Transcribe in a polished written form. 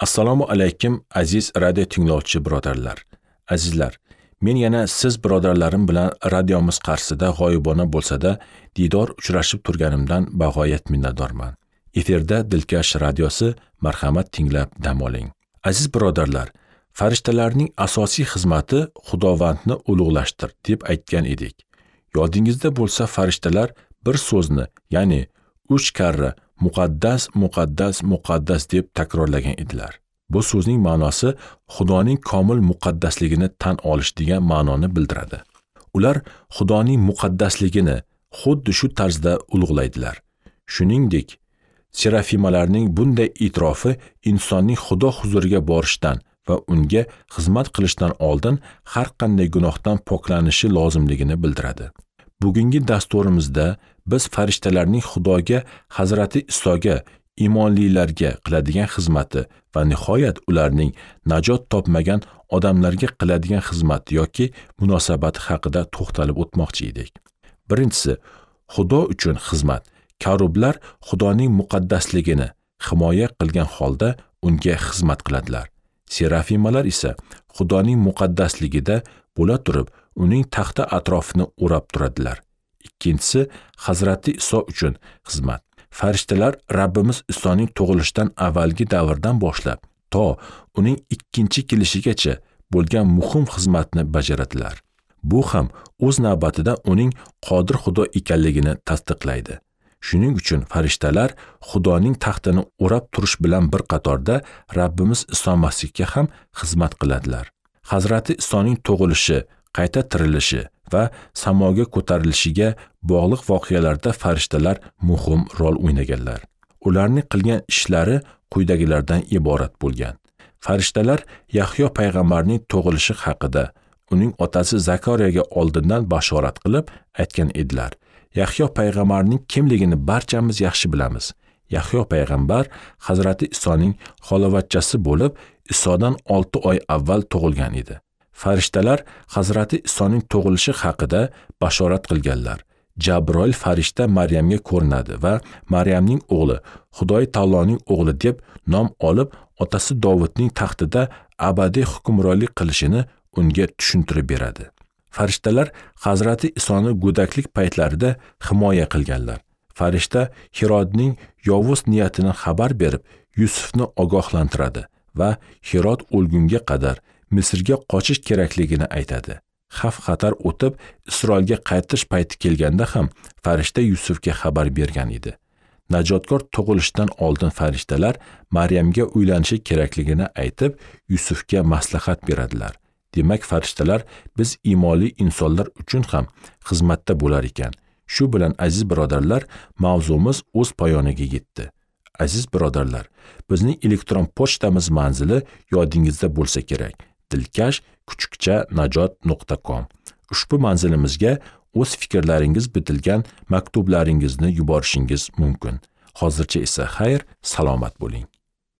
Assalomu alaykum aziz radio tinglovchi birodarlar. Azizlar, men yana siz birodarlarim bilan radiomiz qarshisida g'oyibona bo'lsa-da diydor uchrashib turganimdan bag'oyat minnatdorman. Efirda Dilkash radiosi, marhamat tinglab dam oling. Aziz birodarlar, farishtalarning asosiy xizmati Xudovandni ulug'lashtir deb aytgan edik. Yodingizda bo'lsa, farishtalar bir so'zni, ya'ni 3 karra muqaddas, muqaddas, muqaddas deb takrorlagan edilar. Bu so'zning ma'nosi Xudoning komil muqaddasligini tan olish degan ma'noni bildiradi. Ular Xudoning muqaddasligini xuddi shu tarzda ulug'laydilar. Shuningdek, serafimalarning bunday e'tirofi insonning Xudo huzuriga borishdan va unga xizmat qilishdan oldin har qanday gunohdan poklanishi lozimligini bildiradi. Bugungi dasturimizda biz farishtalarning Xudoga, Hazrati Isoga, iymonlilarga qiladigan xizmati va nihoyat ularning najot topmagan odamlarga qiladigan xizmati yoki munosabati haqida to'xtalib o'tmoqchi edik. Birinchisi, Xudo uchun xizmat. Karublar Xudoning muqaddasligini himoya qilgan holda unga xizmat qiladilar. Serafimalar esa Xudoning muqaddasligida bo'la turib, uning taxti atrofini o'rab turadilar. Ikkinchisi, Hazrati Iso uchun xizmat. Farishtalar Rabbimiz Isoning tug'ilishidan avvalgi davrdan boshlab to uning ikkinchi kelishigacha bo'lgan muhim xizmatni bajaradilar. Bu ham o'z navbatida uning qodir Xudo ekanligini tasdiqlaydi. Shuning uchun farishtalar Xudoning taxtini o'rab turish bilan bir qatorda Rabbimiz Iso Masihga ham xizmat qiladilar. Hazrati Isoning tug'ilishi, qayta tirilishi va samoga ko'tarilishiga bog'liq voqealarda farishtalar muhim rol o'ynaganlar. Ularning qilgan ishlari quyidagilardan iborat bo'lgan. Farishtalar Yahyo payg'ambarning tug'ilishi haqida uning otasi Zakariyaga oldindan bashorat qilib aytgan edilar. Yahyo payg'ambarning kimligini barchamiz yaxshi bilamiz. Yahyo payg'ambar Hazrati Isoning xolavatchasi bo'lib, Isodan 6 oy avval tug'ilgan edi. Farishtalar Hazrati Isoning tug'ilishi haqida bashorat qilganlar. Jabroil farishta Maryamga ko'rinadi va Maryamning o'g'li, Xudoy taoloning o'g'li deb nom olib, otasi Dovudning taxtida abadiy hukmronlik qilishini unga tushuntirib beradi. Farishtalar Hazrati Isoni go'daklik paytlarida himoya qilganlar. Farishta Hirodning yovuz niyatini xabar berib, Yusufni ogohlantiradi va Hirod o'lgunga qadar Misrga qochish kerakligini aytadi. Xavf-xatar o'tib, Isroilga qaytish payti kelganda ham farishta Yusufga xabar bergan edi. Najotkor tug'ilishidan oldin farishtalar Maryamga uylanishi kerakligini aytib, Yusufga maslahat beradilar. Demak, farishtalar biz iymonli insonlar uchun ham xizmatda bo'lar ekan. Shu bilan aziz birodarlar, mavzumiz o'z poyoniga yetdi. Aziz birodarlar, bizning elektron pochtamiz manzili yodingizda bo'lsa kerak. dilkash@najot.com. Ushbu manzilimizga o'z fikrlaringiz bitilgan maktublaringizni yuborishingiz mumkin. Hozircha esa xayr, salomat bo'ling.